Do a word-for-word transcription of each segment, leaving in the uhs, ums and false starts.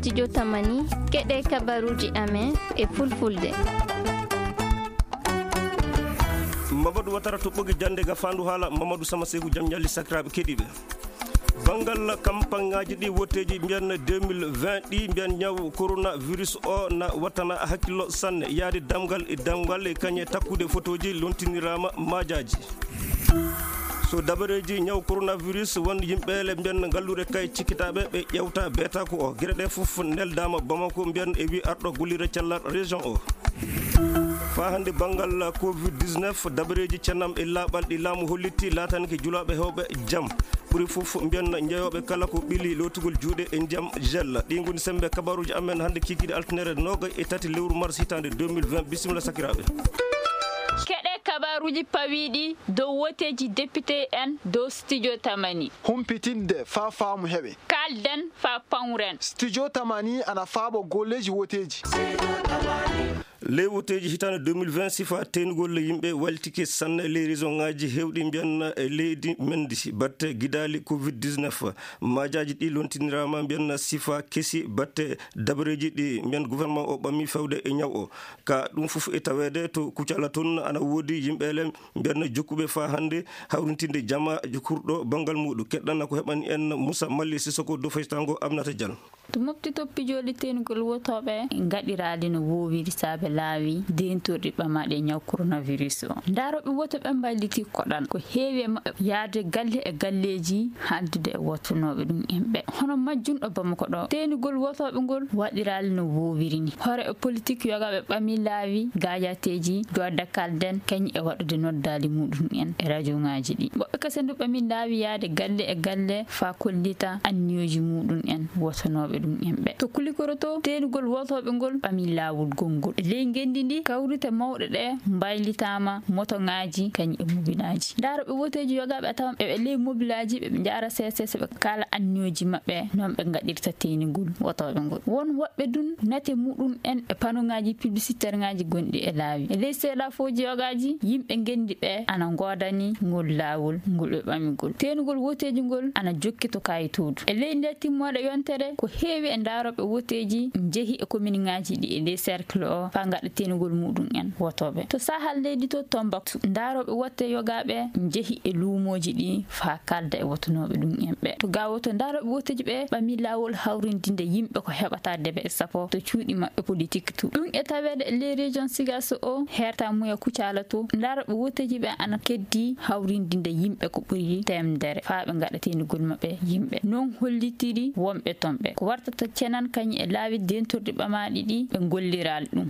Studio Tamani, keɗe kabaruji amen e fulfulde. Mamadou Watara to ɓogi jande ga fandu hala Mamadou Sama Seku jam ñalli sakiraɓe keɗiɓe. Banngal kampanŋaaji ɗi woteeji mbiyan deux mille vingt ɗi mbiyan ñaw coronavirus o na wattana hakkillo sanne yaade damgal e damgal e kañe takkude fotooji lontiniraama maajaaji. So dabareeji ñaw coronavirus won yimɓeele mbiyan ngalluure kay cikkitaaɓe ɓe ƴewta beetako o gere ɗe fof neldaama Bamako mbiyan e wi arɗo gollira cellal région o. Faa hannde banngal covid dix-neuf dabareeji cennam e laaɓal ɗi laamu hollitti laatanke julaaɓe heewɓe jam. Ɓuri fof mbiyan njeeyooɓe kala ko ɓili lootugol juuɗe e ndiyam gel. Ɗi ngoni semmbe kabaruuji amen hannde kiikiiɗe altinere nooga e tati lewru mars hitaande deux mille vingt. Bisimilla sakiraaɓe. Keɗe kabaruuji pawiiɗi dow woteeji député en dow studio Tamani. Humpitinde faa faamu heɓe. Kaalden faa pawren. Studio Tamani ana faaɓo golleeji woteeji. Ley woteeji hitaande deux mille vingt sifa teenugol yimɓe waltike sanne ley région ŋaaji heewɗi mbiyan e leydi men ndi batte gidaali covid dix-neuf. Maajaaji ɗi lontiniraama mbiyan sifa kesi batte dabareeji ɗi mbiyan gouvernement o ɓammi fewde e ñaw o. Ka ɗum fof e taweede to Kucala toon ana woodi yimɓeele mbiyan jokkuɓe faa hannde hawrintinde jama kurɗo banngal muuɗum. Keɗɗana ko heɓani en Moussa Malli Sissoko dow faytango Aminata Diallo. To mofti toppi jooɗi teenugol wotooɓe ngaɗiraali no woowiri saabe laawi deentorɗi ɓamaaɗi e ñaw coronavirus o. Ndarooɓe wotooɓe mbaylitii koɗal ko heewi e maɓɓe yaade galle e galleeji haaldude e wotonooɓe ɗum en ɓe. Hono majjunɗo Bamako ɗo, teenugol wotooɓe ngol waɗiraali no woowiri ni. Hoore e politik yogaaɓe ɓami laawi gaajateeji, joodde kalden, kañum e waɗude noddaali muuɗum en e rajoŋaaji ɗi. Woɓɓe kese ndu ɓami laawi yaade galle e galle faa kollita anniyooji muuɗum en wotonooɓe ɗum en ɓe. To Kulikoro to, teenugol wotooɓe ngol ɓami laawol gonngol. E ley ngenndi ndi, kawrite mawɗe ɗe mbaylitaama motoŋaaji kañum e mobilaaji. Ndarooɓe woteeji yogaaɓe a tawan eɓe ley mobilaaji, ɓe njaara seeseese, ɓe kaala anniyooji maɓɓe, noon ɓe ngaɗirta teenugol wotooɓe ngol. Won woɓɓe dun nate muɗum en e panoŋaaji piblisiteerŋaaji gonɗi e laawi. E ley seeɗafooji yogaaji, yimɓe ngenndi ɓe ana ngoodani ngol laawol ngol ɓe ɓami ngol. Teenugol woteeji ngol ana jokki to kaayitoodu. E ley nde timmoode yontere, ko heewi e ndarooɓe woteeji njehi e kominŋaaji ɗi e ley cercle o faa ngaɗa teenugol muɗum en wotooɓe. To sahal leydi to Tombouctou, ndarooɓe wote yogaaɓe njehi e luumooji ɗi faa kaalda e wotonooɓe ɗum en ɓe. To ga woto, ndarooɓe woteeji ɓe ɓami laawol hawrindinde yimɓe ko heɓata debe e sappo to cuuɗi maɓɓe politik tu. Ɗum e taweede e ley région Sigasso o, herta muya Kucala to, ndarooɓe woteeji ɓe ana keddi hawrindinde yimɓe ko ɓuri teemedere faa ɓe ngaɗa teenugol maɓɓe yimɓe. Noon hollitiri wonɓe toon ɓe. Ko wartata cenan kañum e laawi deentorɗi ɓamaaɗi ɗi ɓe ngolliraali ɗum.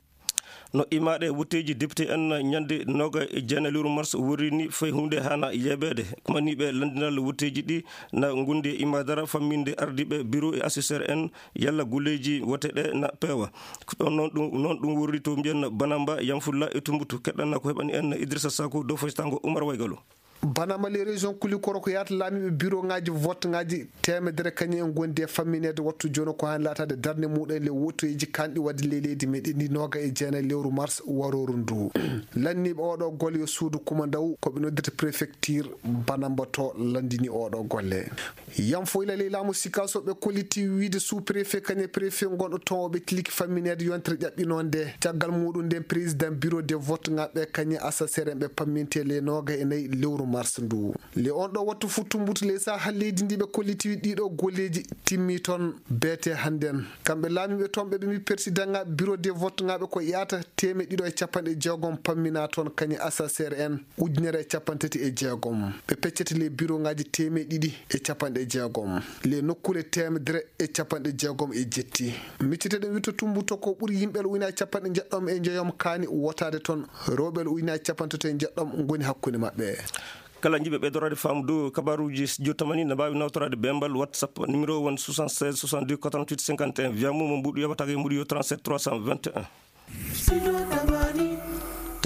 No imaaɗe wotteeji député en ñande nooga e jeenayi lewru mars worri ni fay huunde haana yeebeede. Kumaniiɓe lanndinal wotteeji ɗi na ngondi e imaadara famminde ardiiɓe biro e assesseur en yalla golleeji wote ɗe na peewa. Ɗon noon ɗum, noon ɗum worri to mbiyan Banamba, Yamfulla e Tumbutu. Keɗɗana ko heɓani en Idrissa Sako dow faytango Umar Waygalo. Banama les régions Kulikoro ko yaata laamiiɓe biro ŋaaji vote ŋaaji teemedere kañum en ngondi e fammineede wattu jooni ko haani laataade darnde muɗum en le wotoyeeji kanɗi waɗde ley leydi meɗen ndi nooga e jeenayi lewru mars warooru ndu. Lanniiɓe oɗo golle yo suudu kumandaw ko ɓe noddirta préfecture Banamba to lanndini oɗo golle. Yam foyla ley laamu Sikaso ɓe kolliti wiide sous préfet kañe préfet gonɗo toon o ɓe tiliki fammineede yontere ƴaɓɓinoo nde. Caggal muɗum nden président bureau de vote ŋaaɓe kañe assesseur en ɓe pamminte le nooga e nayi lewru mars ndu. Le on ɗo wattu fuu Tumbutu ley saha leydi ndi ɓe kolliti ɗiɗo golleeji timmi toon beete hannden. Kamɓe laamiiɓe toon ɓe ɓe mbi président ŋaaɓe bureau de vote ŋaaɓe ko yaata teemeɗɗe ɗiɗo e capanɗe jeegom pammina toon kañe assesseur en ujunere e capanɗe tati e jeegom. Ɓe peccete le bureau ŋaaji teemeɗɗe ɗiɗi e capanɗe jeegom. Le nokkuule teemedere e capanɗe jeegom e jetti. Micciteɗen witto Tumbuto ko ɓuri yimɓe ujunaaji capanɗe njeɗɗom e njoyom kaani wotaade toon. Rewɓe ujunaaji capanɗe tati e njeɗɗom ngoni hakkunde maɓɓe. Kala jiɗɓe ɓeydoraade faamu dow kabaruuji studio tamani na mbaawi nawtoraade bembal WhatsApp numéro won soixante-seize soixante-deux quatre-vingt-huit cinquante et un. Wiya mo mo mbuɗu yoɓataake e mbuɗu yo trente-sept trois cent vingt et un.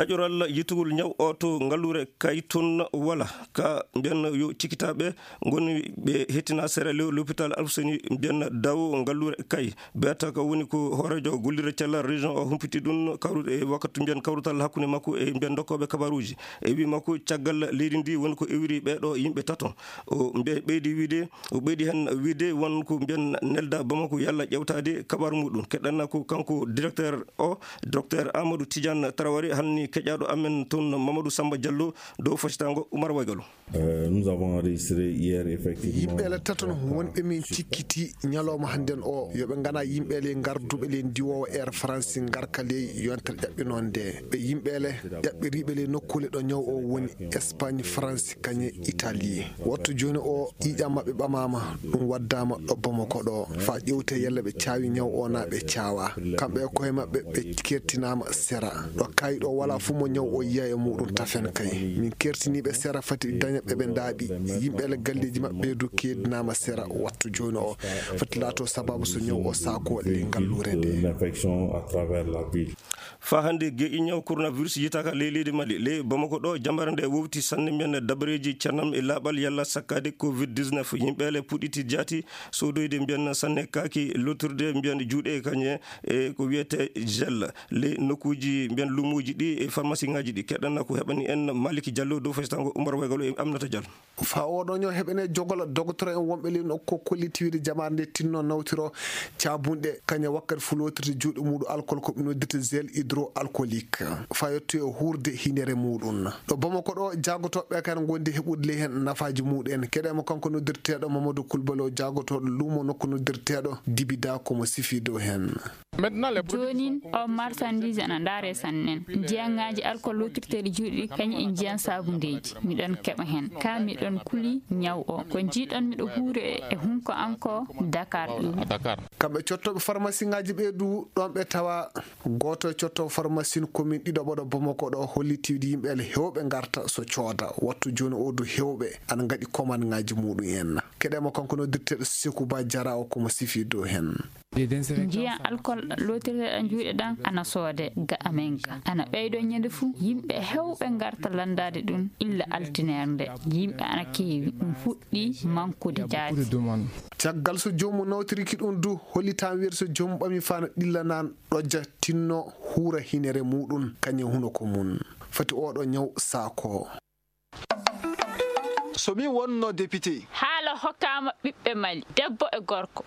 Ƴaƴoral yitugol ñaw o to ngalluure Kay tun wala ka mbiyan yo cikkitaaɓe ngoni ɓe hettina sera lew l'hôpital Alfuseni mbiyan daw ngalluure Kay. Beta ka woni ko hooreejo gollirde cellal région o humpiti ɗum kawrude e wakkati mbiyan kawrutal hakkunde makko e mbiyan dokkooɓe kabaruuji. E wi makko caggal leydi ndi woni ko iwri ɓeeɗo yimɓe tato. O mbe-, ɓeydi wiide, o ɓeydi hen wiide won ko mbiyan nelda Bamako yalla ƴewtaade kabaru muɗum. Keɗanna ko kanko directeur o, docteur Amadou Tidiane Traoré, halni keƴaɗo amen toon Mamadou Samba Diallo dow fasitango Oumar Waygalo. Euh, nous avons enregistré hier, effectivement, yimɓe ele tato no wonɓe min cikkiti ñalawma hannden o, yo ɓe ngana yimɓe ele ngarduɓe le ndiwowo Air France ngarka ley yontere ƴaɓɓinoo nde. Ɓe yimɓe ele ƴaɓɓiriiɓe le nokkuule ɗo ñaw o woni Espagne, France, kañe Italie. Wattu jooni o, ƴiiƴam maɓɓe ɓamaama, ɗum waddaama ɗo Bamako ɗo. Faa ƴewte yalla ɓe caawi ñaw o naa ɓe caawa. Kamɓe e koye maɓɓe ɓe kertinaama sera. Ɗo kaayi ɗo walaa fof mo ñaw o yiya e muɗum tafen kay. Min kertiniiɓe sera fati daña ɓe ɓe ndaaɓi. Yimɓe ele galleeji maɓɓe du keedinaama sera wattu jooni o. Fati laato sababu so ñaw o saako le ngalluure nde. L'infection à travers la ville. Faa hannde geƴi ñaw coronavirus yiytaaka ley leydi Mali. Ley Bamako ɗo, jambaare nde wowti sanne mbiyan dabareeji cernam e laaɓal yalla sakkaade covid dix-neuf. Yimɓe ele puɗɗiti jaati soodoyde mbiyan sanne kaaki lottirde mbiyan juuɗe kañe e ko wiyete gel. Ley nokkuuji mbiyan luumoji ɗi e pharmacie ngaji ɗi. Keɗanna ko heɓani en Malik Diallo dow fasitango Oumar Waygalo e Aminata Diallo. Faa oɗo ñaw heɓene jogola dogotoro en wonɓe ley nokku ko kolliti wiide jamaare nde tinno nawtiro caabunɗe, kañe wakkati fu lootirde juuɗe muɗum alcool ko ɓe noddirta gel hydroalcoolique. Faa yetto e huurde hinere muɗum. Ɗo Bamako ɗo, jaagotooɓe kan ngondi heɓude ley hen nafaaji muɗum en. Keɗe mo kanko noddirteeɗo Mamadou Koulibaly o jaagotooɗo luumo nokku noddirteeɗo Dibida komo sifi dow hen. Joonin, o marchandise ana ndaare sannen. Njiyaŋaaji alcool lootirteeɗi juuɗe ɗi, kañum e njiyan saabundeeji. Miɗon keɓa hen. Ka miɗon kuli ñaw o. Ko njiiɗon miɗo huure e hunko an ko Dakar ɗum. Kamɓe cottooɓe pharmacie ngaji ɓe du, ɗon ɓe tawa. Gooto e cottooɓe pharmacie commune ɗiɗo ɓoɗo Bamako ɗo holliti wiide yimɓe ele hewɓe ngarta so cooda. Wattu jooni o du hewɓe ana ngaɗi commande ngaji muɗum en. Keɗe mo kanko noddirteeɗo Sekou Ba Diarra o komo sifi dow hen. Njiyan alcool lootirteɗan juuɗe ɗan ana soode ga amen ga. Ana ɓeydo ñande fu, yimɓe hewɓe ngarta landaade ɗum illa altineer nde. Yimɓe ana keewi, ɗum fuɗɗi mankude jaati. Caggal so joomum nawtoriki ɗum du, hollitan wiyeede so joomum ɓami fana ɗillanan ɗojja tinno huura hinere muɗum kañe hunuko mum. Fati oɗo ñaw saako. So mi wonno député. Haala hokkaama ɓiɓɓe Mali, debbo e gorko.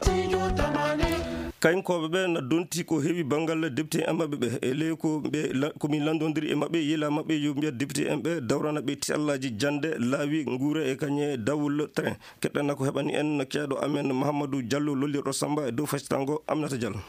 Kayinkooɓe ɓe na donti ko heewi banngal député en maɓɓe ɓe. E ley ko ɓe la-, ko min lanndondiri e maɓɓe, yila maɓɓe yo mbiya député en ɓe dawrana ɓe tallaaji jannde, laawi, nguure e kañe dawol train. Keɗɗana ko heɓani en ceeɗo amen Mahamadou Diallo lollirɗo Samba e dow fasitango Aminata Diallo.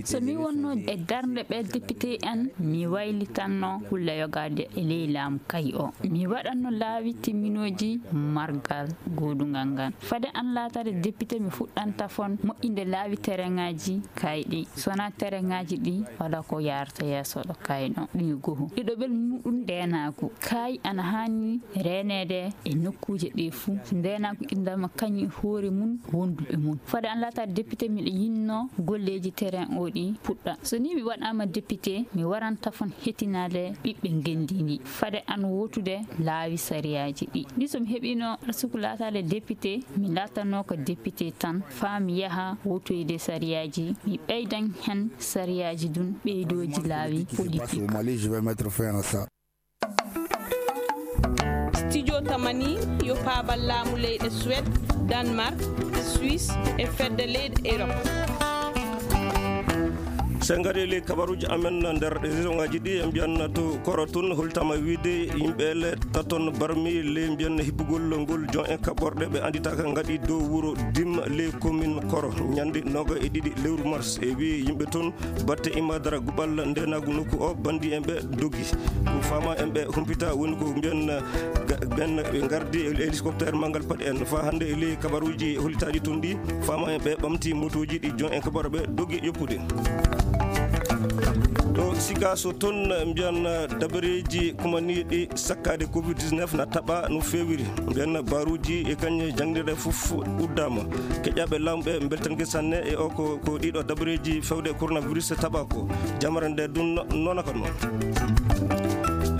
So mi wonno e darnde ɓe député en, mi waylitanno kulle yogaade e ley laamu kayi o. Mi waɗanno laawi timminooji margal goodungal ngal. Fade an laataade député, mi fuɗɗanta fon moƴƴinde laawi tereŋaaji kayɗi. Sona tereŋaaji ɗi wala ko yaarata yeeso ɗo kayno ɗum goho. Ɗiɗo ɓel muɗum ndeenaagu. Kay ana haani reeneede e nokkuuje ɗe fuu. Ndeenaagu inndama kañum e hoore mum wonduɓe mum. Fade an laataade député, miɗo yinno golleeji terrain o ɗi puɗɗa. So ni mi waɗaama député, mi waranta fon hetinaade ɓiɓɓe ngenndi ndi. Fade an wotude laawi sariyaaji ɗi. Ni so mi heɓino arsuku laataade député, mi laatanno ko député tan, faa mi yaha wotoyde sariyaaji, mi ɓeydan hen sariyaaji dun ɓeydooji laawi politique. Studio Tamani yo paabal laamu leyɗe Suède, Danemark, Suisse e fedde leyɗe Europe. Sen ngari ley kabaruuji amen nder région ngaji ɗi, en mbiyan to Koro tun holtama wiide yimɓe le taton barmi le mbiyan hibbugol ngol jon en kaɓorɗe ɓe anditaka ngaɗi dow wuro Dim le commune Koro ñande noga e ɗiɗi lewru mars. E wi yimɓe tun batte imadara guɓal ndenagu nokku o bandi en ɓe doggi. Ko fama en ɓe humpita woni ko mbiyan ga-, ɓen ɓe ngardi e hélicoptère mangal paɗi en. Fa hande e ley kabaruji holitaɗi tun ɗi, fama en ɓe ɓamti motoji ɗi jon en kabaro ɓe doggi yoppude. To Sikaso toon, mbiyan dabareeji kumaniiɗi sakkaade covid dix-neuf na taɓa no feewiri. Mbiyan baruuji e kañe jannginirɗe fof uddaama. Keƴaaɓe laamu ɓe mbeltanke sanne e o ko, ko ɗiɗo dabareeji fewde coronavirus taɓa ko. Jamara nde dun noona ko noon.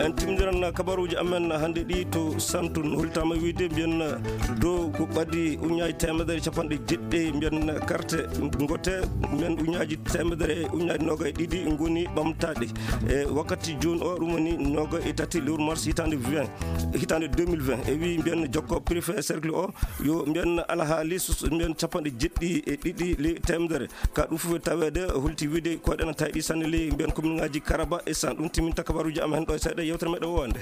En timmidiran kabaruuji amen hannde ɗi to Santun. Holtaama wiide mbiyan dow ko ɓadi uñaaji teemedere capanɗe jeɗɗi, mbiyan karte ngote, mbiyan uñaaji teemedere e uñaaji noogay ɗiɗi ngoni ɓamtaaɗi. E wakkati jooni o, ɗum woni noogay e tati lewru mars hitaande vingt, hitaande deux mille vingt. E wi mbiyan jokko préfet cercle o, yo mbiyan alhaali sus-, mbiyan capanɗe jeɗɗi e ɗiɗi ley teemedere. Ka ɗum fof taweede, holti wiide ko ɗen tawi ɗi sanne ley mbiyan commune ngaji Karaba e San. Ɗum timminta kabaruuji am hen ɗo e seeɗa yewtere meɗen wonde.